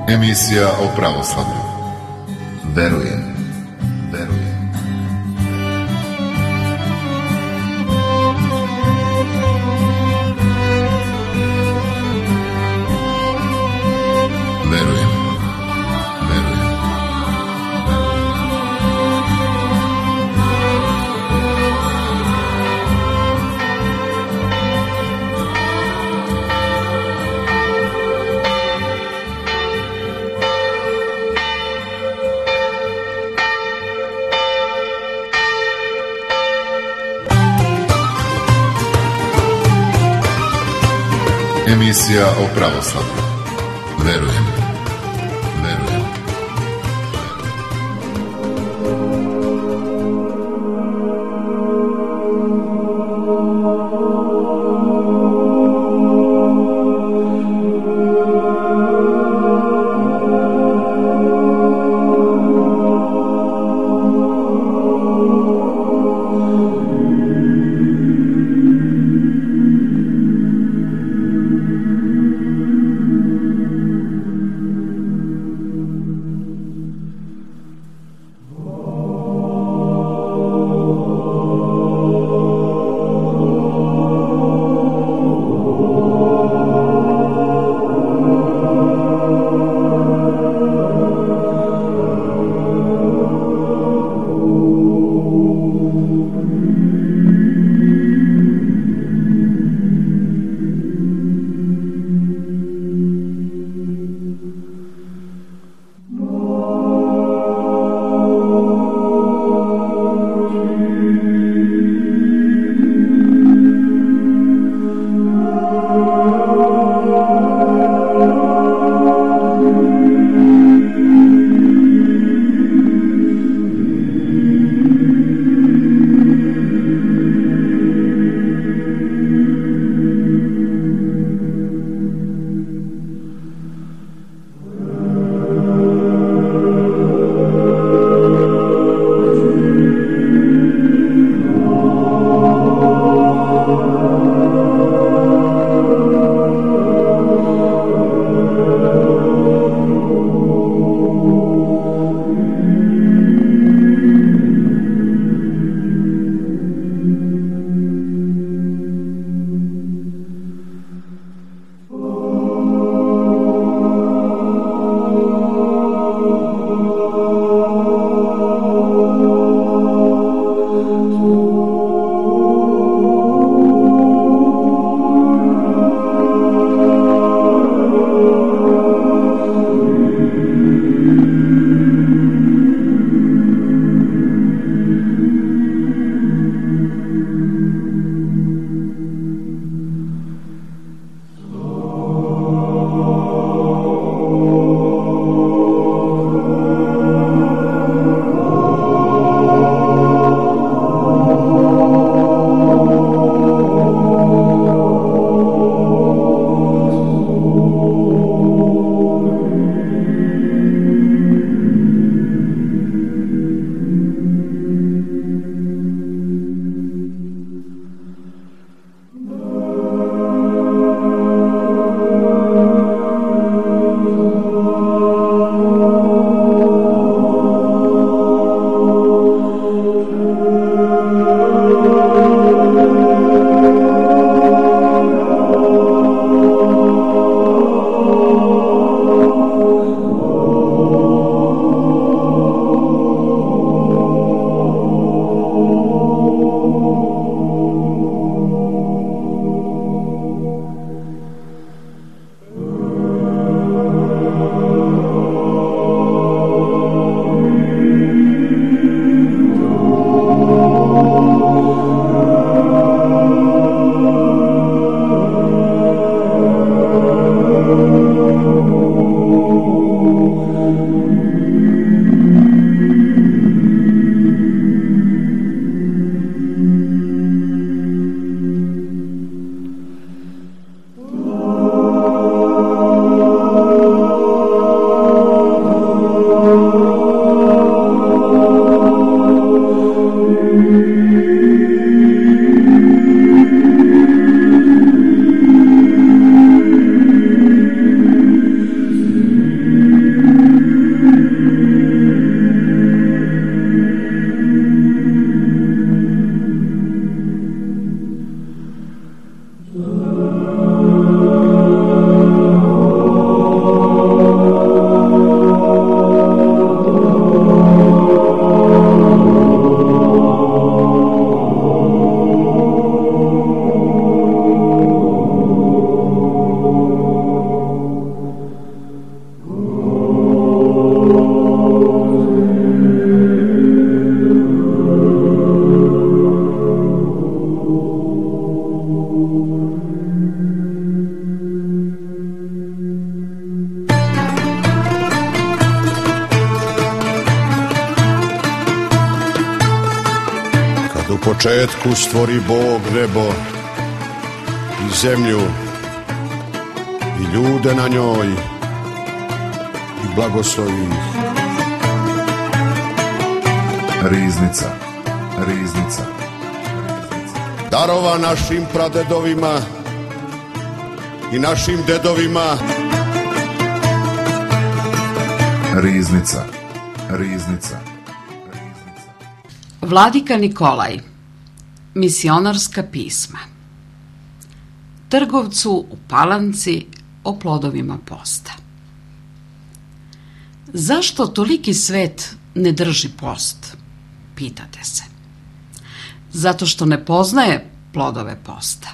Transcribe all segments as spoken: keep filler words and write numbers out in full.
Emisija o pravoslavlju. Verujem, verujem. Verujem, verujem. Emisija o pravoslavlju. Verujem, verujem. početku stvori Bog nebo i zemlju i ljude na njoj i blagoslovi ih. Riznica, riznica. Darova našim pradedovima i našim dedovima. Riznica, riznica. Vladika Nikolaj, misionarska pisma. Trgovcu u Palanci o plodovima posta. Zašto toliki svet ne drži post? Pitate se. Zato što ne poznaje plodove posta.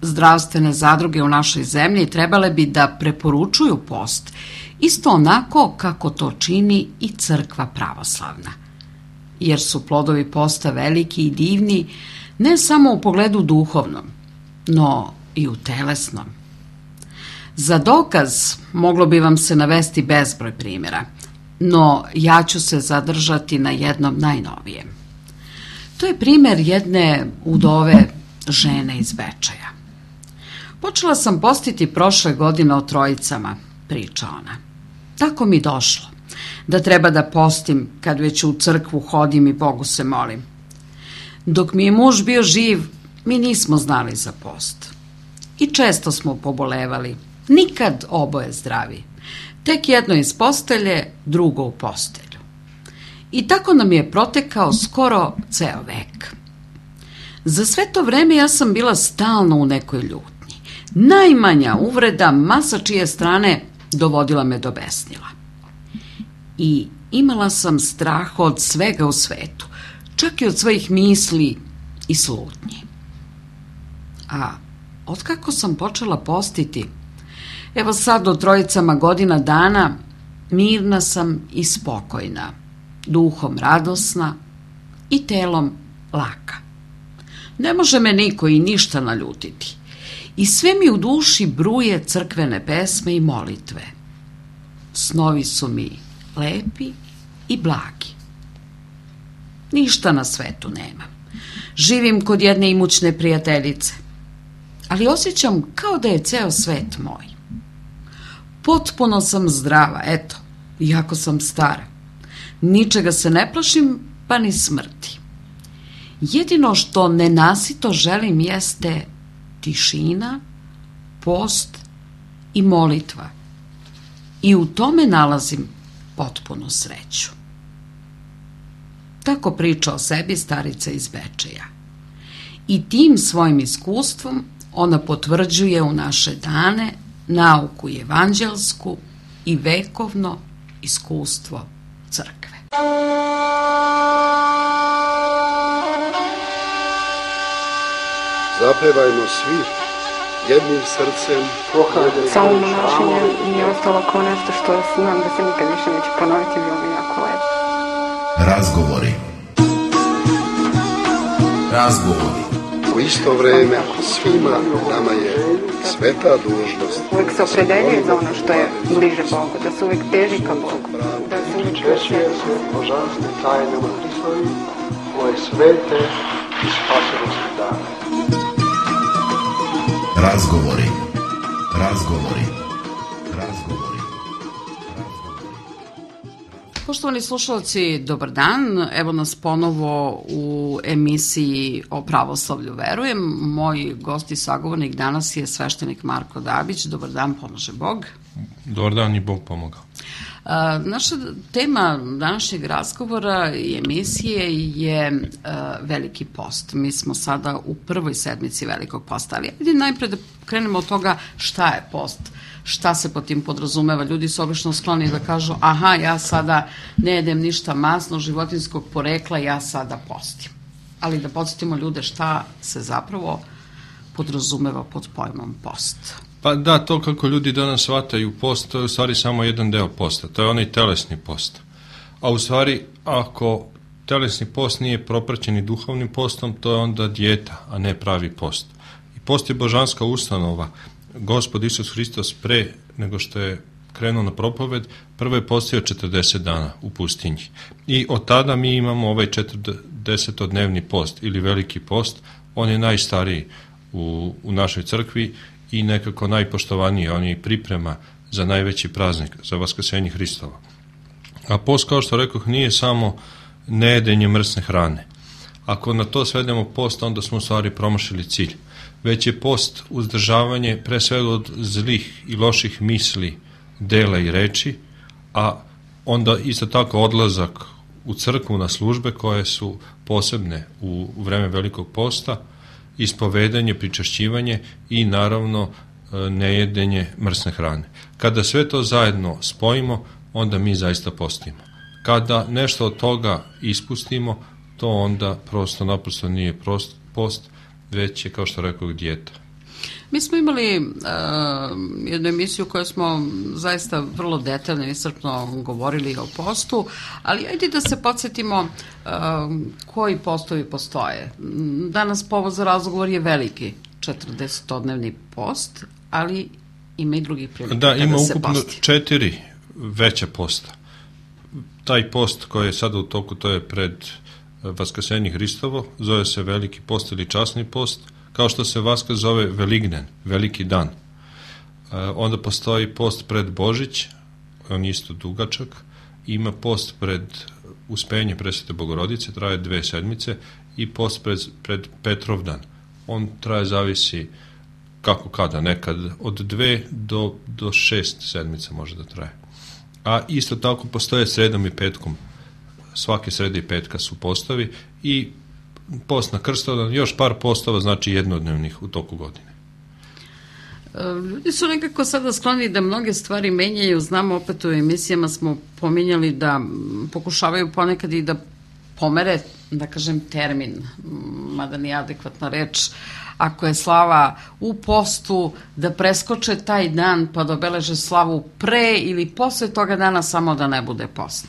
Zdravstvene zadruge u našoj zemlji trebale bi da preporučuju post, isto onako kako to čini i crkva pravoslavna. Jer su plodovi posta veliki i divni ne samo u pogledu duhovnom, no i u telesnom. Za dokaz moglo bi vam se navesti bezbroj primjera, no ja ću se zadržati na jednom najnovijem. To je primjer jedne udove žene iz Bečeja. Počela sam postiti prošle godine o trojicama, priča ona. Tako mi došlo, da treba da postim kad već u crkvu hodim i Bogu se molim. Dok mi je muž bio živ, mi nismo znali za post. I često smo pobolevali, nikad oboje zdravi. Tek jedno iz postelje, drugo u postelju. I tako nam je protekao skoro ceo vek. Za sve to vreme ja sam bila stalno u nekoj ljutnji. Najmanja uvreda, ma sa čije strane, dovodila me do besnila. I imala sam strah od svega u svetu, čak i od svojih misli i slutnji. A otkako sam počela postiti, evo sad o trojicama godina dana, mirna sam i spokojna, duhom radosna i telom laka. Ne može me niko i ništa naljutiti. I sve mi u duši bruje crkvene pesme i molitve. Snovi su mi lepi i blagi. Ništa na svetu nemam. Živim kod jedne imućne prijateljice, ali osjećam kao da je ceo svet moj. Potpuno sam zdrava, eto, iako sam stara. Ničega se ne plašim, pa ni smrti. Jedino što nenasito želim jeste tišina, post i molitva. I u tome nalazim potpunu sreću. Tako priča o sebi starica iz Bečeja. I tim svojim iskustvom ona potvrđuje u naše dane nauku evanđelsku i vekovno iskustvo crkve. Zapevajmo svi jednim srcem. Samo monašenje mi je ostalo kao nešto što znam da se nikad više neće ponoviti, bilo mi jako lepo. Razgovori. Razgovori. U isto vreme svima nama je sveta dužnost. Uvijek se opredeljuje za ono što je bliže Bogu, da se uvijek teži ka Bogu, da se uvijek češuje se božanstvim tajnama Hristovi, koje svete i spasirosti dane. Razgovori. Razgovori. Razgovori. Poštovani slušalci, dobar dan. Evo nas ponovo u emisiji o pravoslavlju verujem. Moj gost i sagovornik danas je sveštenik Marko Dabić. Dobar dan, pomaže Bog. Dobar dan i Bog pomogao. A, naša tema današnjeg razgovora i emisije je a, Veliki post. Mi smo sada u prvoj sedmici Velikog posta, ali ajde najpre da krenemo od toga šta je post, šta se po tim podrazumeva. Ljudi su obično skloni da kažu aha, ja sada ne jedem ništa masno, životinjskog porekla, ja sada postim. Ali da podsjetimo ljude šta se zapravo podrazumeva pod pojmom post. Pa da, to kako ljudi danas shvataju post, to je u stvari samo jedan deo posta, to je onaj telesni post. A u stvari, ako telesni post nije propraćen i duhovnim postom, to je onda dijeta, a ne pravi post. I post je božanska ustanova. Gospod Isus Hristos pre nego što je krenuo na propoved, prvo je postio četrdeset dana u pustinji. I od tada mi imamo ovaj četrdesetodnevni post ili veliki post, on je najstariji u, u našoj crkvi i nekako najpoštovaniji, on je priprema za najveći praznik, za Vaskrsenje Hristovo. A post, kao što rekoh, nije samo nejedenje mrsne hrane. Ako na to svedemo post, onda smo u stvari promašili cilj. Već je post uzdržavanje pre svega od zlih i loših misli, dela i reči, a onda isto tako odlazak u crkvu na službe koje su posebne u, u vreme velikog posta, ispovedanje, pričašćivanje i naravno nejedenje mrsne hrane. Kada sve to zajedno spojimo, onda mi zaista postimo. Kada nešto od toga ispustimo, to onda prosto naprosto nije prost, post, već je, kao što rekao, dijeta. Mi smo imali uh, jednu emisiju koju smo zaista vrlo detaljno i iscrpno govorili o postu, ali ajde da se podsjetimo uh, koji postovi postoje. Danas povod za razgovor je veliki četrdesetodnevni post, ali ima i drugih prilika da, kada ima se ukupno posti. četiri veća posta. Taj post koji je sada u toku, to je pred Vaskrsenje Hristovo, zove se veliki post ili časni post, kao što se Vaskrs zove Velignen, veliki dan. E, onda postoji post pred Božić, on isto dugačak, ima post pred Uspenje Presvete Bogorodice, traje dve sedmice, i post pred, pred Petrovdan. On traje, zavisi kako kada, nekad od dve do, do šest sedmica može da traje. A isto tako postoje sredom i petkom, svake srede i petka su postovi i post na Krstovdan, još par postova, znači jednodnevnih u toku godine. Ljudi su nekako sada skloni da mnoge stvari menjaju, znamo, opet u emisijama smo pominjali da pokušavaju ponekad i da pomere, da kažem, termin, mada nije adekvatna reč, ako je slava u postu, da preskoče taj dan pa da obeleže slavu pre ili posle toga dana, samo da ne bude post.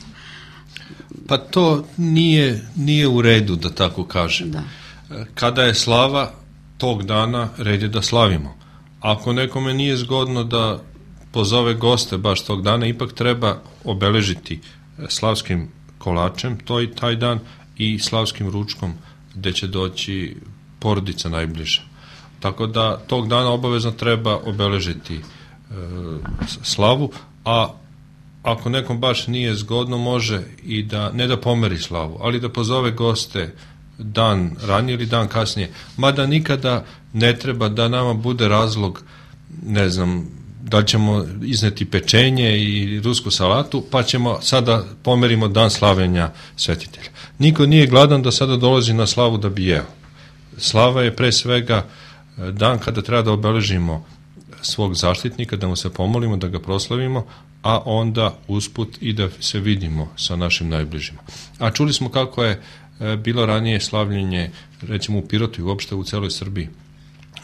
Pa to nije, nije u redu, da tako kažem. Da. Kada je slava tog dana, red je da slavimo. Ako nekome nije zgodno da pozove goste baš tog dana, ipak treba obeležiti slavskim kolačem to i taj dan i slavskim ručkom gde će doći porodica najbliža. Tako da tog dana obavezno treba obeležiti e, slavu, a ako nekom baš nije zgodno, može i da, ne da pomeri slavu, ali da pozove goste dan ranije ili dan kasnije. Mada nikada ne treba da nama bude razlog, ne znam, da ćemo izneti pečenje i rusku salatu, pa ćemo sada pomerimo dan slavljenja svetitelja. Niko nije gladan da sada dolazi na slavu da bi jeo. Slava je pre svega dan kada treba da obeležimo svog zaštitnika, da mu se pomolimo, da ga proslavimo, a onda usput i da se vidimo sa našim najbližima. A čuli smo kako je bilo ranije slavljenje, recimo u Pirotu i uopšte u celoj Srbiji.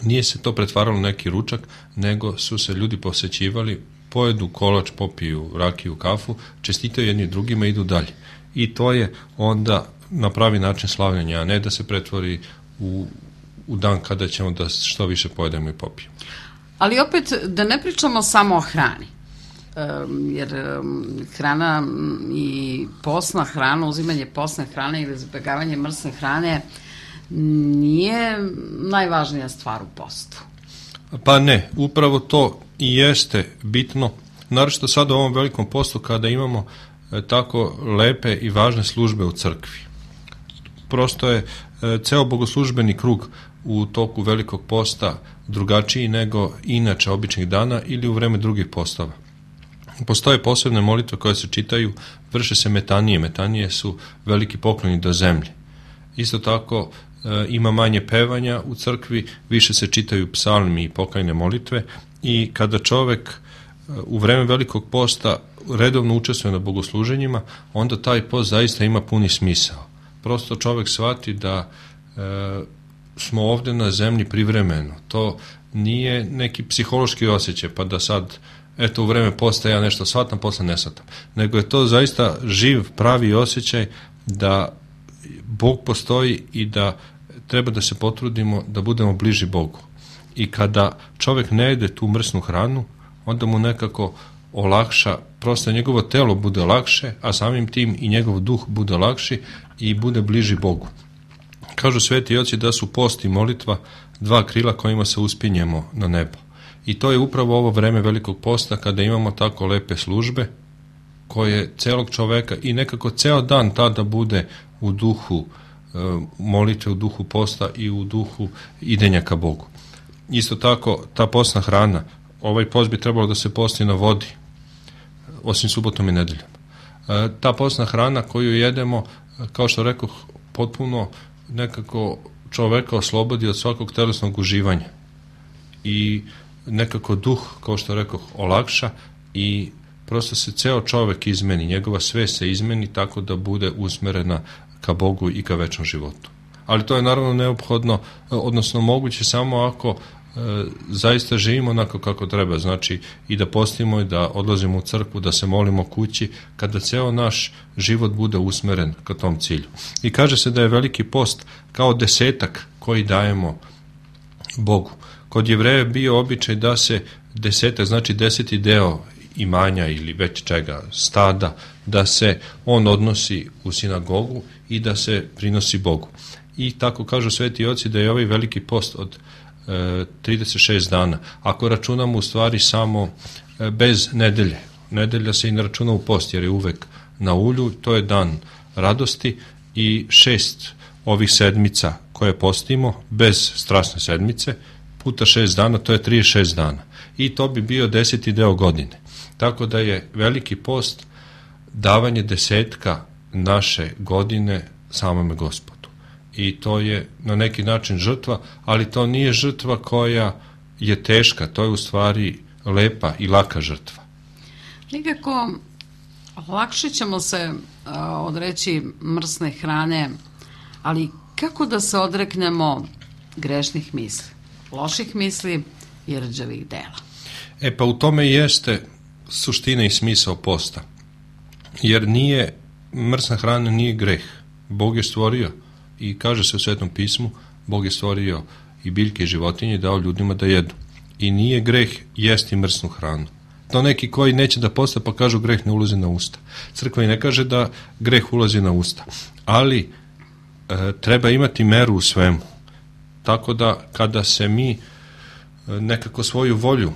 Nije se to pretvaralo u neki ručak, nego su se ljudi posećivali, pojedu kolač, popiju rakiju, kafu, čestitaju jedni drugima i idu dalje. I to je onda na pravi način slavljenja, a ne da se pretvori u, u dan kada ćemo da što više pojedemo i popijemo. Ali opet, da ne pričamo samo o hrani, um, jer um, hrana i postna hrana, uzimanje postne hrane ili izbjegavanje mrsne hrane nije najvažnija stvar u postu. Pa ne, upravo to i jeste bitno, naročito sada u ovom velikom postu kada imamo e, tako lepe i važne službe u crkvi. Prosto je e, ceo bogoslužbeni krug u toku velikog posta drugačiji nego inače običnih dana ili u vreme drugih postova. Postoje posebne molitve koje se čitaju, vrše se metanije. Metanije su veliki pokloni do zemlje. Isto tako e, ima manje pevanja u crkvi, više se čitaju psalmi i pokajne molitve i kada čovek e, u vreme velikog posta redovno učestvuje na bogosluženjima, onda taj post zaista ima puni smisao. Prosto čovek shvati da e, smo ovde na zemlji privremeno. To nije neki psihološki osjećaj, pa da sad, eto, u vreme posta ja nešto shvatam, posle ne shvatam. Nego je to zaista živ, pravi osjećaj da Bog postoji i da treba da se potrudimo da budemo bliži Bogu. I kada čovek ne jede tu mrsnu hranu, onda mu nekako olakša, prosto njegovo telo bude lakše, a samim tim i njegov duh bude lakši i bude bliži Bogu. Kažu sveti oci da su post i molitva dva krila kojima se uspinjemo na nebo. I to je upravo ovo vreme Velikog posta kada imamo tako lepe službe koje celog čoveka i nekako ceo dan tada bude u duhu e, molitve, u duhu posta i u duhu idenja ka Bogu. Isto tako, ta postna hrana, ovaj post bi trebalo da se posti na vodi, osim subotom i nedeljom. E, ta postna hrana koju jedemo, kao što rekoh, potpuno nekako čoveka oslobodi od svakog telesnog uživanja i nekako duh, kao što rekoh, olakša i prosto se ceo čovek izmeni, njegova svest se izmeni tako da bude usmerena ka Bogu i ka večnom životu. Ali to je naravno neophodno, odnosno moguće samo ako e, zaista živimo onako kako treba, znači i da postimo i da odlazimo u crkvu, da se molimo kući, kada ceo naš život bude usmeren ka tom cilju. I kaže se da je Veliki post kao desetak koji dajemo Bogu. Kod Jevreja je bio običaj da se desetak, znači deseti deo imanja ili već čega, stada, da se on odnosi u sinagogu i da se prinosi Bogu. I tako kažu sveti oci da je ovaj Veliki post od e, trideset šest dana. Ako računamo u stvari samo e, bez nedelje, nedelja se i ne računa u post jer je uvek na ulju, to je dan radosti i šest ovih sedmica koje postimo bez strasne sedmice, puta šest dana, to je trideset šest dana. I to bi bio deseti deo godine. Tako da je Veliki post davanje desetka naše godine samome Gospodu. I to je na neki način žrtva, ali to nije žrtva koja je teška, to je u stvari lepa i laka žrtva. Nikako lakše ćemo se a, odreći mrsne hrane, ali kako da se odreknemo grešnih misli, loših misli i rđavih dela? E pa u tome jeste suština i smisao posta. Jer nije, mrsna hrana nije greh. Bog je stvorio i kaže se u Svetom pismu, Bog je stvorio i biljke i životinje i dao ljudima da jedu. I nije greh jesti mrsnu hranu. To neki koji neće da posta pa kažu greh ne ulazi na usta. Crkva i ne kaže da greh ulazi na usta. Ali e, treba imati meru u svemu. Tako da kada se mi e, nekako svoju volju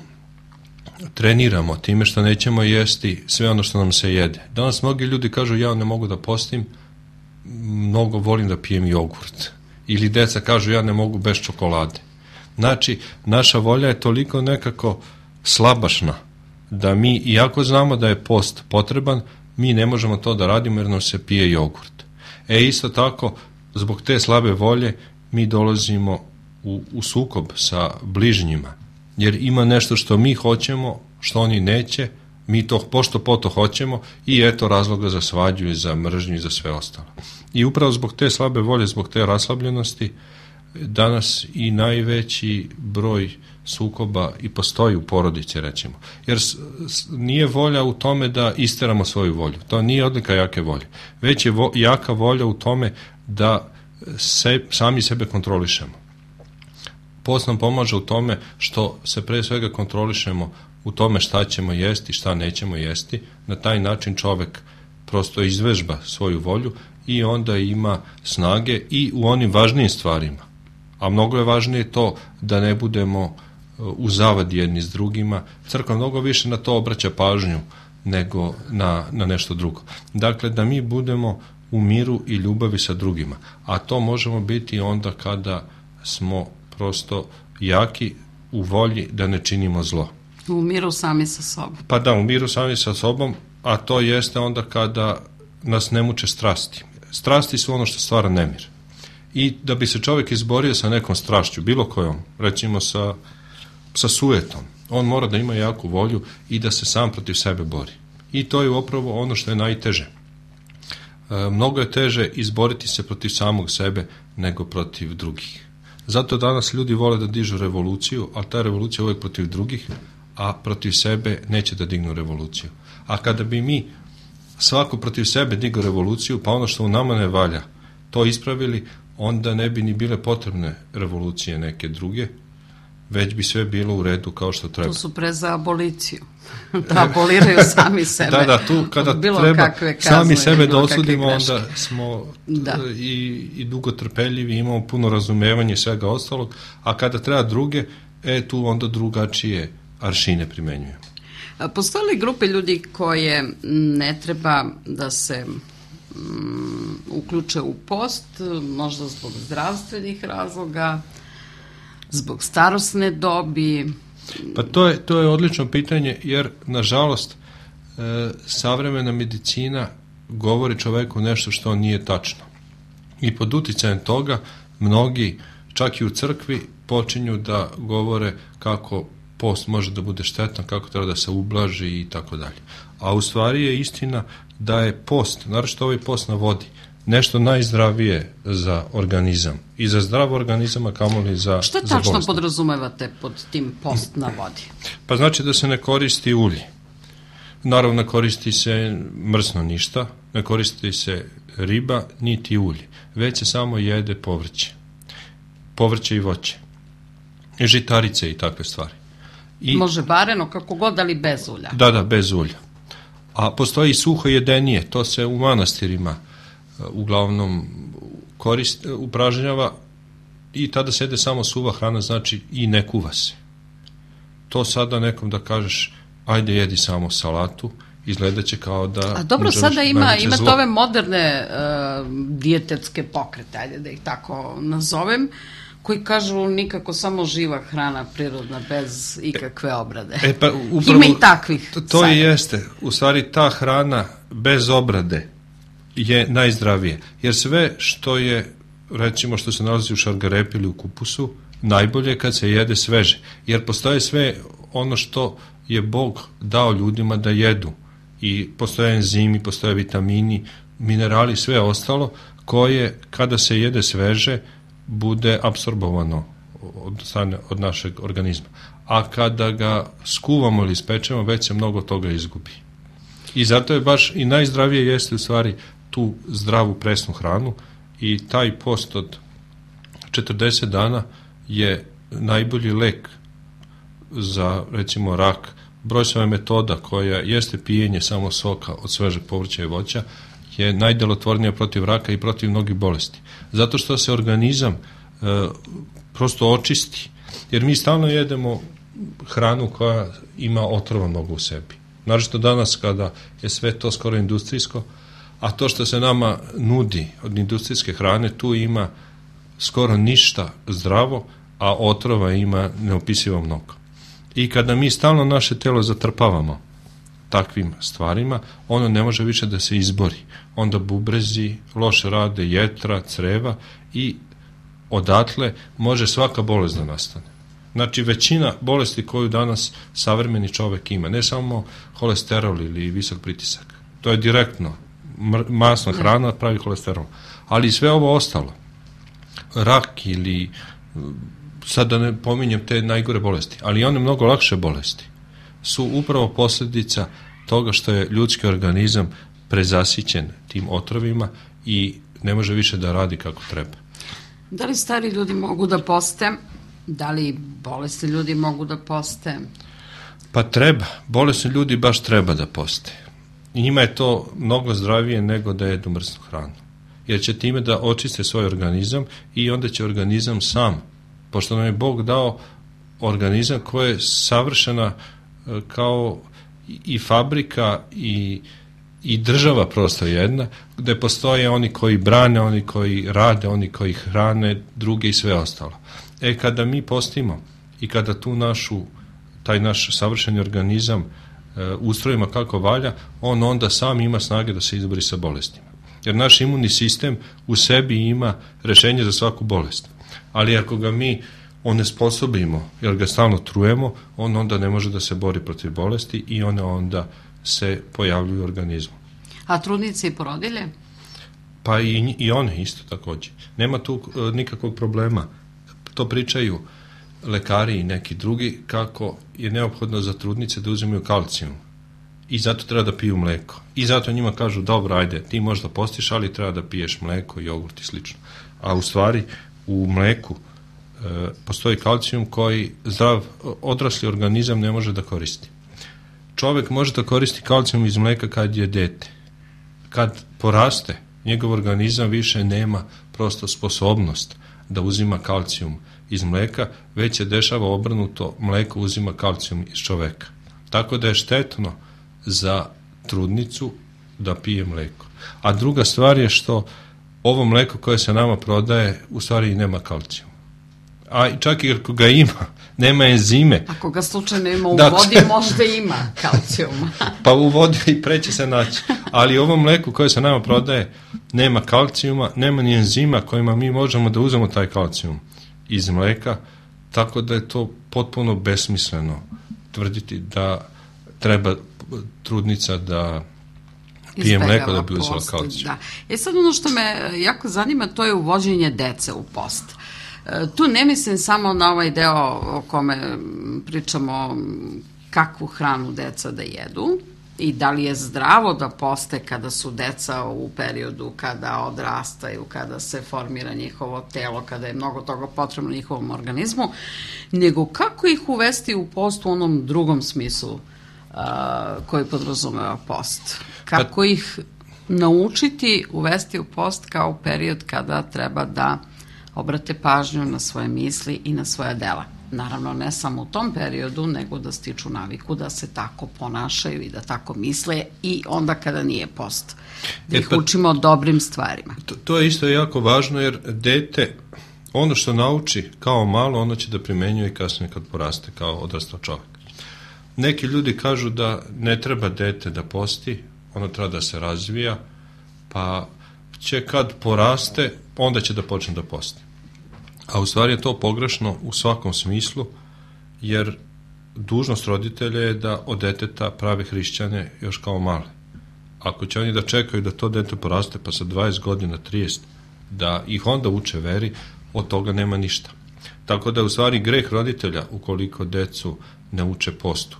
treniramo time što nećemo jesti sve ono što nam se jede. Danas mnogi ljudi kažu ja ne mogu da postim, mnogo volim da pijem jogurt. Ili deca kažu ja ne mogu bez čokolade. Znači, naša volja je toliko nekako slabašna da mi, iako znamo da je post potreban, mi ne možemo to da radimo jer nam se pije jogurt. E isto tako, zbog te slabe volje mi dolazimo u, u sukob sa bližnjima. Jer ima nešto što mi hoćemo, što oni neće, mi to pošto poto hoćemo i eto razloga za svađu i za mržnju i za sve ostalo. I upravo zbog te slabe volje, zbog te raslabljenosti, danas i najveći broj sukoba i postoji u porodici, recimo. Jer nije volja u tome da isteramo svoju volju. To nije odlika jake volje. Već je vo, jaka volja u tome da se, sami sebe kontrolišemo. Post nam pomaže u tome što se pre svega kontrolišemo u tome šta ćemo jesti, šta nećemo jesti. Na taj način čovek prosto izvežba svoju volju i onda ima snage i u onim važnijim stvarima. A mnogo je važnije to da ne budemo u zavadi jedni s drugima. Crkva mnogo više na to obraća pažnju nego na, na nešto drugo. Dakle, da mi budemo u miru i ljubavi sa drugima. A to možemo biti onda kada smo prosto jaki u volji da ne činimo zlo. U miru sami sa sobom. Pa da, u miru sami sa sobom, a to jeste onda kada nas ne muče strasti. Strasti su ono što stvara nemir. I da bi se čovjek izborio sa nekom strašću, bilo kojom, recimo sa, sa sujetom, on mora da ima jaku volju i da se sam protiv sebe bori. I to je upravo ono što je najteže. E, mnogo je teže izboriti se protiv samog sebe nego protiv drugih. Zato danas ljudi vole da dižu revoluciju, ali ta revolucija je uvijek protiv drugih, a protiv sebe neće da dignu revoluciju. A kada bi mi svako protiv sebe digao revoluciju, pa ono što u nama ne valja, to ispravili, onda ne bi ni bile potrebne revolucije neke druge, već bi sve bilo u redu kao što treba. Tu su pre za aboliciju. Da aboliraju sami sebe. Da, da, tu kada treba sami sebe da osudimo, onda smo da. I, i dugo trpeljivi, imamo puno razumevanja i svega ostalog, a kada treba druge, e, tu onda drugačije aršine primenjujemo. Postoje li grupe ljudi koje ne treba da se um, uključe u post, možda zbog zdravstvenih razloga, zbog starosne dobi? Pa to je, to je odlično pitanje, jer nažalost e, savremena medicina govori čoveku nešto što nije tačno. I pod uticajem toga mnogi, čak i u crkvi, počinju da govore kako post može da bude štetan, kako treba da se ublaži i tako dalje. A u stvari je istina da je post, naročito ovaj post na vodi, nešto najzdravije za organizam. I za zdrav organizam, a kamoli za bolest. Što tačno podrazumevate pod tim post na vodi? Pa znači da se ne koristi ulje. Naravno, ne koristi se mrsno ništa, ne koristi se riba, niti ulje. Već se samo jede povrće. Povrće i voće. I žitarice i takve stvari. I, može bareno, kako god, ali bez ulja. Da, da, bez ulja. A postoji i suho jedenije, to se u manastirima uglavnom korist, upražnjava i tada se jede samo suva hrana, znači i ne kuva se. To sada nekom da kažeš, ajde jedi samo salatu, izgledat će kao da... A dobro, sada ima, imate ove moderne uh, dijetetske pokrete, ajde da ih tako nazovem, koji kažu nikako samo živa hrana prirodna, bez ikakve obrade. E, pa, upravo, ima i takvih. To, to i jeste. U stvari ta hrana bez obrade je najzdravije. Jer sve što je, recimo što se nalazi u šargarepi ili u kupusu, najbolje je kad se jede sveže. Jer postoje sve ono što je Bog dao ljudima da jedu. I postoje enzimi, postoje vitamini, minerali, sve ostalo, koje kada se jede sveže, bude apsorbovano od, od našeg organizma. A kada ga skuvamo ili ispečemo, već se mnogo toga izgubi. I zato je baš i najzdravije jeste u stvari tu zdravu presnu hranu i taj post od četrdeset dana je najbolji lek za, recimo, rak. Brojsova metoda koja jeste pijenje samo soka od svežeg povrća i voća je najdelotvornija protiv raka i protiv mnogih bolesti. Zato što se organizam e, prosto očisti. Jer mi stalno jedemo hranu koja ima otrova mnogo u sebi. Naročito danas kada je sve to skoro industrijsko, a to što se nama nudi od industrijske hrane, tu ima skoro ništa zdravo, a otrova ima neopisivo mnogo. I kada mi stalno naše telo zatrpavamo takvim stvarima, ono ne može više da se izbori. Onda bubrezi loše rade, jetra, creva i odatle može svaka bolest da nastane. Znači, većina bolesti koju danas savremeni čovek ima, ne samo holesterol ili visok pritisak, to je direktno, masna hrana pravi holesterol, ali sve ovo ostalo, rak ili, sad da ne pominjem te najgore bolesti, ali one mnogo lakše bolesti, su upravo posljedica toga što je ljudski organizam prezasićen tim otrovima i ne može više da radi kako treba. Da li stari ljudi mogu da poste? Da li bolesni ljudi mogu da poste? Pa treba. Bolesni ljudi baš treba da poste. I njima je to mnogo zdravije nego da jedu mrsnu hranu. Jer će time da očiste svoj organizam i onda će organizam sam, pošto nam je Bog dao organizam koji je savršena kao i fabrika i, i država prosto jedna, gde postoje oni koji brane, oni koji rade, oni koji hrane, druge i sve ostalo. E, kada mi postimo i kada tu našu, taj naš savršeni organizam e, ustrojimo kako valja, on onda sam ima snage da se izbori sa bolestima. Jer naš imunni sistem u sebi ima rešenje za svaku bolest. Ali ako ga mi onesposobimo, jer ga stalno trujemo, on onda ne može da se bori protiv bolesti i one onda se pojavljuju u organizmu. A trudnice i porodilje? Pa i, i one isto takođe. Nema tu uh, nikakvog problema. To pričaju lekari i neki drugi kako je neophodno za trudnice da uzimaju kalcijum. I zato treba da piju mleko. I zato njima kažu, dobro, ajde, ti možda postiš, ali treba da piješ mleko, jogurt i slično. A u stvari, u mleku postoji kalcijum koji zdrav odrasli organizam ne može da koristi. Čovjek može da koristi kalcijum iz mlijeka kad je dete. Kad poraste, njegov organizam više nema prosto sposobnost da uzima kalcijum iz mlijeka, već se dešava obrnuto, mlijeko uzima kalcijum iz čovjeka. Tako da je štetno za trudnicu da pije mlijeko. A druga stvar je što ovo mlijeko koje se nama prodaje u stvari i nema kalcijum. A čak i ako ga ima, nema enzime. Ako ga slučajno ima u da, vodi, možda ima kalcijuma. Pa u vodi i preće se naći. Ali ovo mlijeko koje se nama prodaje nema kalcijuma, nema ni enzima kojima mi možemo da uzmemo taj kalcijum iz mlijeka, tako da je to potpuno besmisleno tvrditi da treba trudnica da pije mlijeko da bi uzela kalcijum. Da. E sad ono što me jako zanima, to je uvođenje dece u post. Tu ne mislim samo na ovaj deo o kome pričamo kakvu hranu deca da jedu i da li je zdravo da poste kada su deca u periodu kada odrastaju, kada se formira njihovo telo, kada je mnogo toga potrebno njihovom organizmu, nego kako ih uvesti u post u onom drugom smislu uh, koji podrazumeva post. Kako pa... ih naučiti uvesti u post kao period kada treba da obrate pažnju na svoje misli i na svoja dela. Naravno, ne samo u tom periodu, nego da stiču naviku da se tako ponašaju i da tako misle i onda kada nije post. Da ih e pa, učimo dobrim stvarima. To, to je isto jako važno jer dete, ono što nauči kao malo, ono će da primenjuje i kasnije kad poraste kao odrastao čovjek. Neki ljudi kažu da ne treba dete da posti, ono treba da se razvija, pa će kad poraste, onda će da počne da posti. A u stvari je to pogrešno u svakom smislu, jer dužnost roditelja je da od deteta prave hrišćane još kao male. Ako će oni da čekaju da to dete poraste pa sa dvadeset godina, trideset, da ih onda uče veri, od toga nema ništa. Tako da je u stvari greh roditelja ukoliko decu ne uče postu.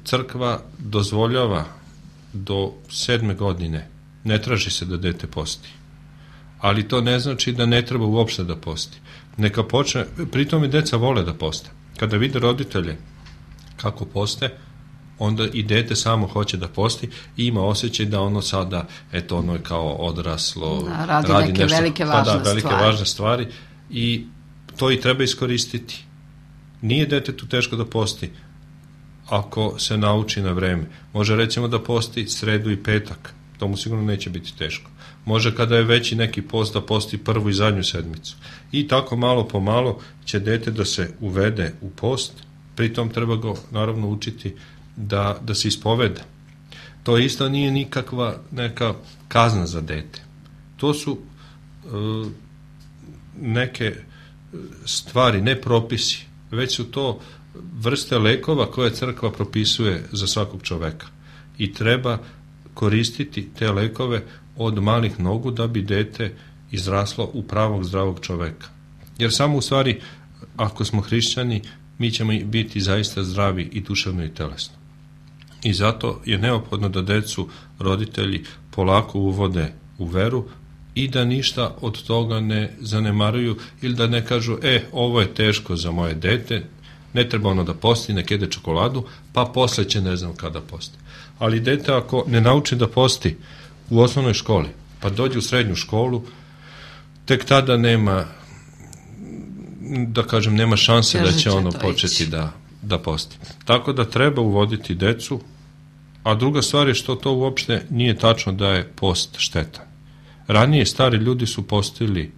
Crkva dozvoljava do sedme godine, ne traži se da dete posti. Ali to ne znači da ne treba uopšte da posti. Neka počne, pritom i deca vole da poste. Kada vide roditelje kako poste, onda i dete samo hoće da posti i ima osjećaj da ono sada, eto ono je kao odraslo, da, radi, radi neke nešto, velike pa važne da, velike stvari. važne stvari i to i treba iskoristiti. Nije detetu teško da posti ako se nauči na vreme. Može recimo da posti sredu i petak, to mu sigurno neće biti teško. Može kada je veći neki post da posti prvu i zadnju sedmicu. I tako malo po malo će dete da se uvede u post, pritom treba ga naravno učiti da, da se ispoveda. To isto nije nikakva neka kazna za dete. To su uh, neke stvari, ne propisi, već su to vrste lekova koje crkva propisuje za svakog čoveka. I treba koristiti te lekove od malih nogu da bi dete izraslo u pravog zdravog čoveka. Jer samo u stvari, ako smo hrišćani, mi ćemo biti zaista zdravi i duševno i telesno. I zato je neophodno da decu roditelji polako uvode u veru i da ništa od toga ne zanemaruju ili da ne kažu, e, ovo je teško za moje dete, ne treba ono da posti, nek jede čokoladu, pa posle će ne znam kada posti. Ali dete ako ne nauči da posti u osnovnoj školi, pa dođe u srednju školu, tek tada nema, da kažem, nema šanse da će ono početi da, da posti. Tako da treba uvoditi decu, a druga stvar je što to uopšte nije tačno da je post štetan. Ranije stari ljudi su postili,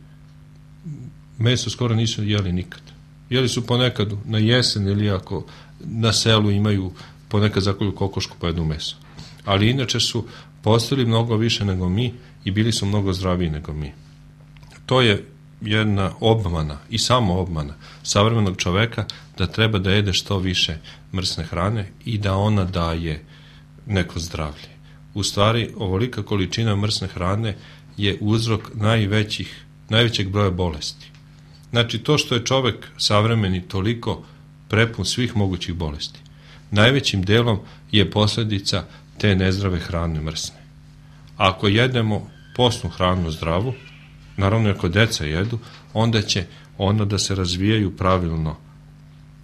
meso skoro nisu jeli nikad. Jeli su ponekad na jesen ili ako na selu imaju ponekad zakolju kokošku pa jedu meso. Ali inače su postili mnogo više nego mi i bili su mnogo zdraviji nego mi. To je jedna obmana i samo obmana savremenog čoveka da treba da jede što više mrsne hrane i da ona daje neko zdravlje. U stvari, ovolika količina mrsne hrane je uzrok najvećih, najvećeg broja bolesti. Znači, to što je čovek savremeni toliko prepun svih mogućih bolesti, najvećim delom je posljedica te nezdrave hrane mrsne. Ako jedemo postnu hranu zdravu, naravno ako deca jedu, onda će onda da se razvijaju pravilno.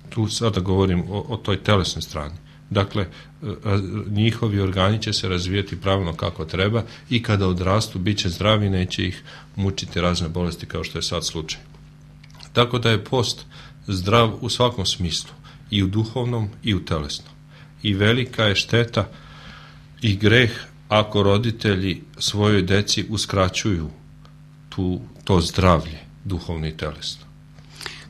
Tu sada govorim o, o toj telesnoj strani. Dakle, njihovi organi će se razvijati pravilno kako treba i kada odrastu bit će zdravi, neće ih mučiti razne bolesti kao što je sad slučaj. Tako da je post zdrav u svakom smislu, i u duhovnom i u telesnom. I velika je šteta i greh ako roditelji svojoj deci uskraćuju tu, to zdravlje duhovno i telesno.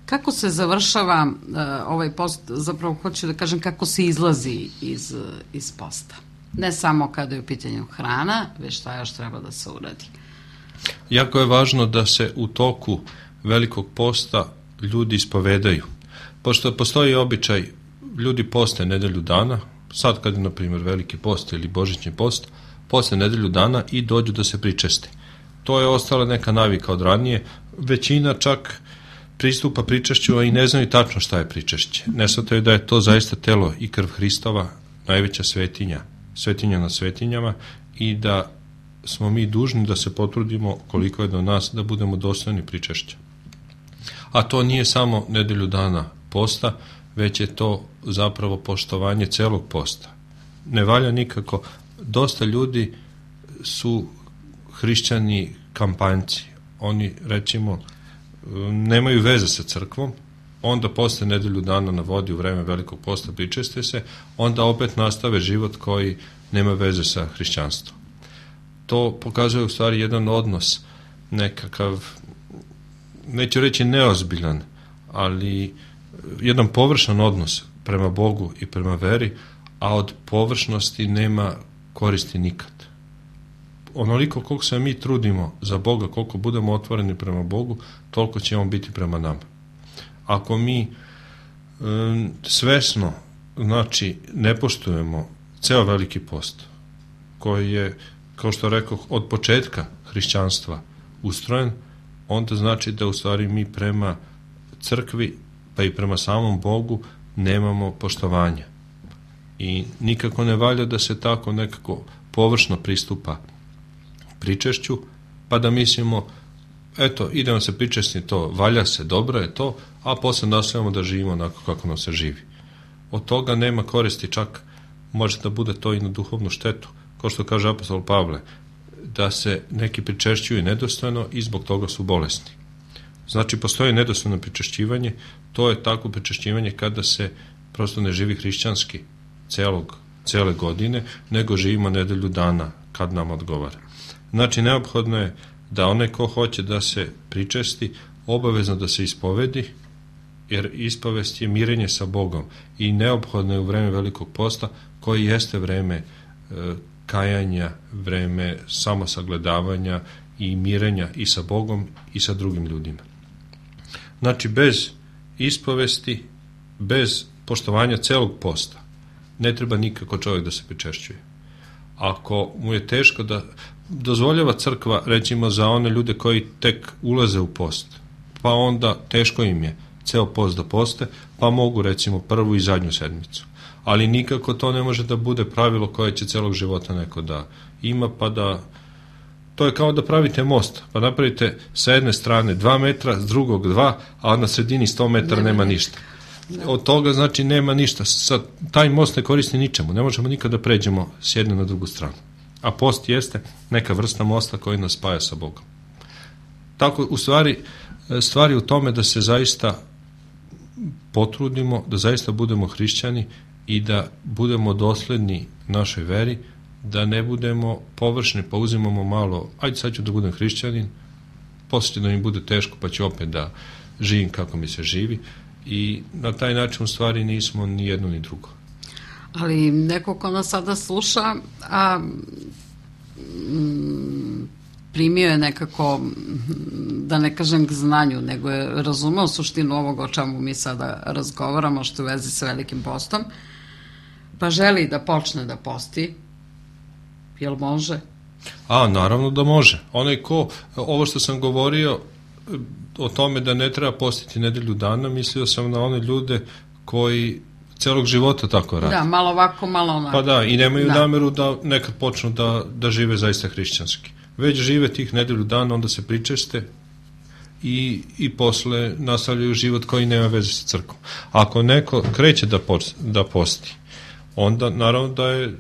Kako se završava uh, ovaj post, zapravo hoću da kažem kako se izlazi iz, iz posta? Ne samo kada je u pitanju hrana, već šta još treba da se uradi. Jako je važno da se u toku velikog posta ljudi ispovedaju. Pošto postoji običaj, ljudi poste nedelju dana, sad kad je, na primjer, veliki post ili božićni post, poste nedelju dana i dođu da se pričeste. To je ostala neka navika od ranije. Većina čak pristupa pričešću, a i ne znaju tačno šta je pričešće. Ne shvataju da je to zaista telo i krv Hristova, najveća svetinja, svetinja na svetinjama, i da smo mi dužni da se potrudimo koliko je do nas da budemo dostojni pričešća. A to nije samo nedelju dana posta, već je to zapravo poštovanje celog posta. Ne valja nikako, dosta ljudi su hrišćani kampanjci. Oni, recimo, nemaju veze sa crkvom, onda posle nedelju dana na vodi u vreme velikog posta pričeste se, onda opet nastave život koji nema veze sa hrišćanstvom. To pokazuje u stvari jedan odnos, nekakav, neću reći neozbiljan, ali jedan površan odnos prema Bogu i prema veri, a od površnosti nema koristi nikad. Onoliko koliko se mi trudimo za Boga, koliko budemo otvoreni prema Bogu, toliko će on biti prema nama. Ako mi um, svesno, znači, ne poštujemo ceo veliki post, koji je, kao što rekoh, od početka hrišćanstva ustrojen, onda znači da u stvari mi prema crkvi, pa i prema samom Bogu, nemamo poštovanja. I nikako ne valja da se tako nekako površno pristupa pričešću, pa da mislimo, eto, idemo se pričesti, to valja se, dobro je to, a posle nastavljamo da živimo onako kako nam se živi. Od toga nema koristi, čak može da bude to i na duhovnu štetu, kao što kaže apostol Pavle, da se neki pričešćuju nedostojno i zbog toga su bolesni. Znači, postoji nedostojno pričešćivanje, to je tako pričešćivanje kada se prosto ne živi hrišćanski celog, cele godine, nego živimo nedelju dana kad nam odgovara. Znači, neophodno je da onaj ko hoće da se pričesti, obavezno da se ispovedi, jer ispovest je mirenje sa Bogom i neophodno je u vreme velikog posta, koji jeste vreme e, kajanja, vreme samosagledavanja i mirenja i sa Bogom i sa drugim ljudima. Znači, bez ispovesti, bez poštovanja celog posta, ne treba nikako čovjek da se pričešćuje. Ako mu je teško da dozvoljava crkva, recimo, za one ljude koji tek ulaze u post, pa onda teško im je ceo post da poste, pa mogu, recimo, prvu i zadnju sedmicu. Ali nikako to ne može da bude pravilo koje će celog života neko da ima, pa da... To je kao da pravite most, pa napravite sa jedne strane dva metra, s drugog dva, a na sredini sto metara nema ništa. Od toga, znači, nema ništa. Sad, taj most ne koristi ničemu, ne možemo nikada da pređemo s jedne na drugu stranu. A post jeste neka vrsta mosta koji nas spaja sa Bogom. Tako, u stvari, stvari u tome da se zaista potrudimo, da zaista budemo hrišćani i da budemo dosledni našoj veri, da ne budemo površni, pa uzimamo malo, ajde sad ću da budem hrišćanin, posle će da mi bude teško, pa ću opet da živim kako mi se živi, i na taj način u stvari nismo ni jedno ni drugo. Ali neko ko nas sada sluša, a m, primio je nekako, da ne kažem k znanju, nego je razumeo suštinu ovoga o čemu mi sada razgovaramo, što u vezi sa velikim postom, pa želi da počne da posti, jel može? A, naravno da može. Onaj ko, ovo što sam govorio o tome da ne treba postiti nedelju dana, mislio sam na one ljude koji celog života tako rade. Da, malo ovako, malo onako. Pa da, i nemaju da. nameru da nekad počnu da, da žive zaista hrišćanski. Već žive tih nedelju dana, onda se pričeste i, i posle nastavljaju život koji nema veze sa crkvom. Ako neko kreće da, post, da posti, onda naravno da je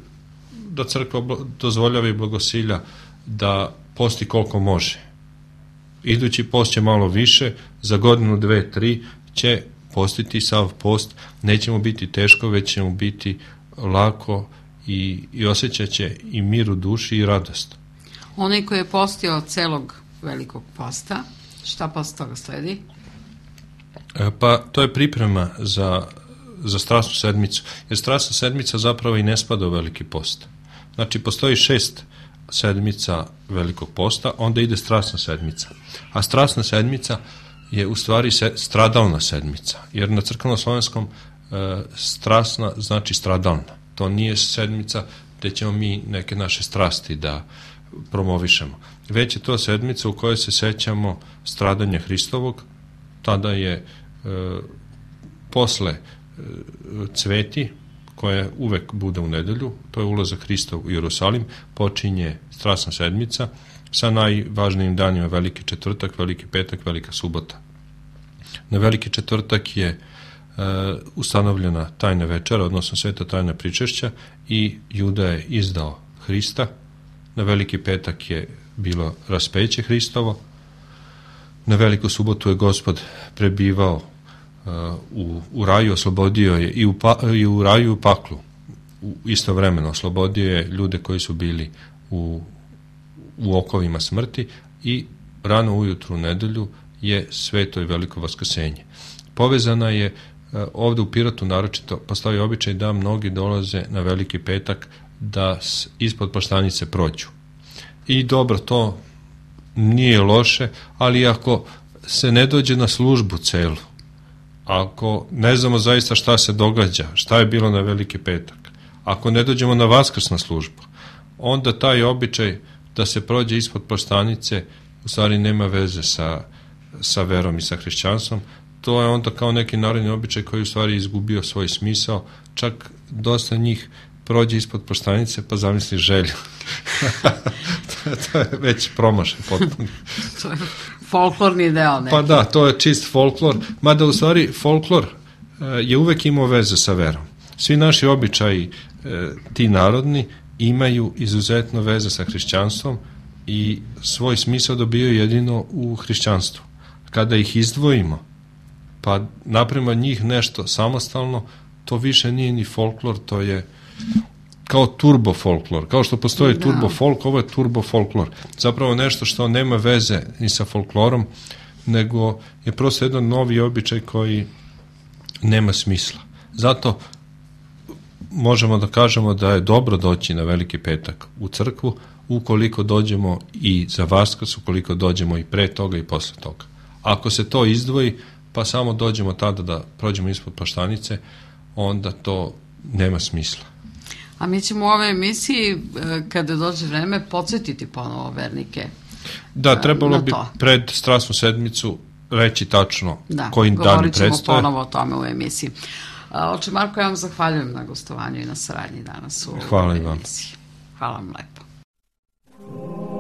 da crkva dozvoljava i blagosilja da posti koliko može. Idući post će malo više, za godinu, dve, tri će postiti sav post, neće mu biti teško, već će mu biti lako i, i osjećat će i mir u duši i radost. Onaj koji je postio celog velikog posta, šta posle toga sledi? E, pa to je priprema za, za strasnu sedmicu, jer strasna sedmica zapravo i ne spada u veliki post. Znači, postoji šest sedmica velikog posta, onda ide strasna sedmica. A strasna sedmica je u stvari se, stradalna sedmica, jer na crkveno-slovenskom e, strasna znači stradalna. To nije sedmica gde ćemo mi neke naše strasti da promovišemo. Već je to sedmica u kojoj se sećamo stradanja Hristovog, tada je e, posle e, cveti, koja uvek bude u nedelju, to je ulazak Hrista u Jerusalim, počinje strasna sedmica sa najvažnijim danima Veliki četvrtak, Veliki petak, Velika subota. Na Veliki četvrtak je e, ustanovljena tajna večera, odnosno sveta tajna pričešća i Juda je izdao Hrista. Na Veliki petak je bilo raspeće Hristovo. Na Veliku subotu je Gospod prebivao u, u raju, oslobodio je i u, pa, i u raju i u paklu u istovremeno, oslobodio je ljude koji su bili u, u okovima smrti i rano ujutru u nedelju je sveto i veliko vaskrsenje. Povezana je ovde u Pirotu naročito, postoji običaj da mnogi dolaze na Veliki petak da ispod Plaštanice prođu. I dobro, to nije loše, ali ako se ne dođe na službu celu, ako ne znamo zaista šta se događa, šta je bilo na Veliki petak, ako ne dođemo na vaskrsnu službu, onda taj običaj da se prođe ispod Plaštanice u stvari nema veze sa, sa verom i sa hrišćanstvom. To je onda kao neki narodni običaj koji u stvari izgubio svoj smisao, čak dosta njih prođe ispod Plaštanice pa zamisli želju. to, to je već promašaj potpuno. To je folklorni deo neki. Pa da, to je čist folklor, mada u stvari folklor e, je uvek imao veze sa verom. Svi naši običaji, e, ti narodni, imaju izuzetno veze sa hrišćanstvom i svoj smisao dobijaju jedino u hrišćanstvu. Kada ih izdvojimo, pa napravimo njih nešto samostalno, to više nije ni folklor, to je kao turbo folklor. Kao što postoji da. turbo folk, ovo je turbo folklor. Zapravo nešto što nema veze ni sa folklorom, nego je prosto jedan novi običaj koji nema smisla. Zato možemo da kažemo da je dobro doći na Veliki petak u crkvu, ukoliko dođemo i za Vaskrs, ukoliko dođemo i pre toga i posle toga. Ako se to izdvoji, pa samo dođemo tada da prođemo ispod Plaštanice, onda to nema smisla. A mi ćemo u ovoj emisiji, kada dođe vreme, podsjetiti ponovo vernike. Da, trebalo bi pred strasnu sedmicu reći tačno da, koji dan predstoje. Da, govorit ćemo ponovo o tome u emisiji. Oče Marko, ja vam zahvaljujem na gostovanju i na saradnji danas u Hvala ovoj emisiji. Hvala vam lepo. Oh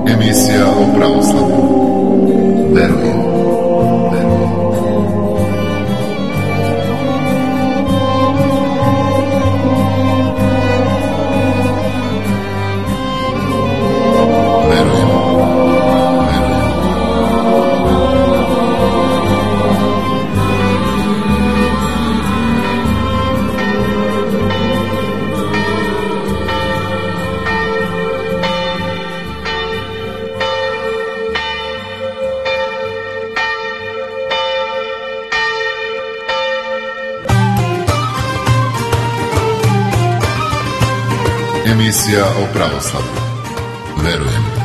Emisija o pravoslavlju. Verujem. Verujem. Verujem. Verujem. Emisija o pravoslavlju. Verujem.